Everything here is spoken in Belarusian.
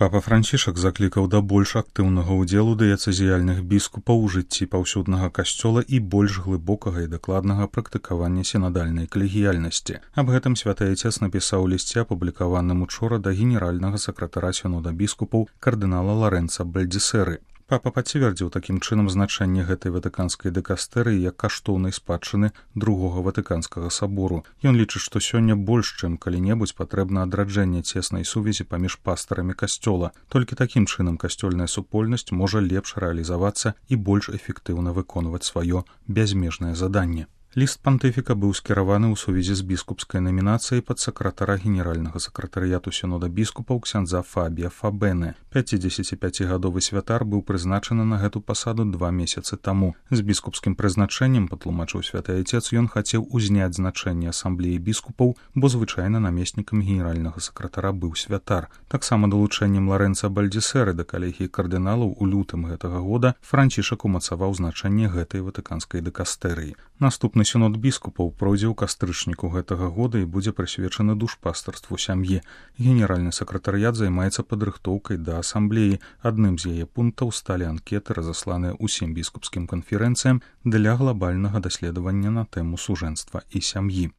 Папа Францішак заклікаў да больш актыўнага ўдзелу дыяцэзіяльных біскупаў у жыцці паўсюднага касцёла і больш глыбокага і дакладнага практыкавання сінадальнай калегіяльнасці. Аб гэтым святы Айцец напісаў у лісце, апублікаваным учора да генеральнага сакратара сінода біскупаў кардынала Ларэнца Бальдзісеры. Папа пацвердзіў такім чынам значэнне гэтай ватыканскай дыкастэрыі як каштоўнай спадчыны другога ватыканскага сабору. Ён лічыць, што сёння больш, чым калі-небудзь патрэбна адраджэнне цеснай сувязі паміж пастарамі касцёла. Толькі такім чынам касцёльная супольнасць можа лепш рэалізавацца і больш эфектыўна выконваць сваё бязмежнае заданне. Ліст пантыфіка быў скіраваны ў сувязі з біскупскай намінацыяй пад сакратара генеральнага сакратарыяту сінода біскупаў ксяндза Фабія Фабене. 55-гадовы святар быў прызначаны на гэту пасаду 2 месяцы таму. З біскупскім прызначэннем, патлумачыў святы Айцец, ён хацеў узняць значэнне асамблеі біскупаў, бо звычайна намеснікам генеральнага сакратара быў святар. Таксама далучэннем Ларэнца Бальдзісеры да калегіі кардыналаў у лютым гэтага года Францішак умацаваў значэнне гэтай ватыканскай дыкастэрыі. Наступны сінод біскупаў пройдзе ў кастрычніку гэтага года і будзе прысвечаны душпастарству сям'і. Генеральны сакратарыят займаецца падрыхтоўкай да асамблеі. Адным з яе пунктаў сталі анкеты, разасланыя ўсім біскупскім канферэнцыям для глабальнага даследавання на тэму сужэнства і сям'і.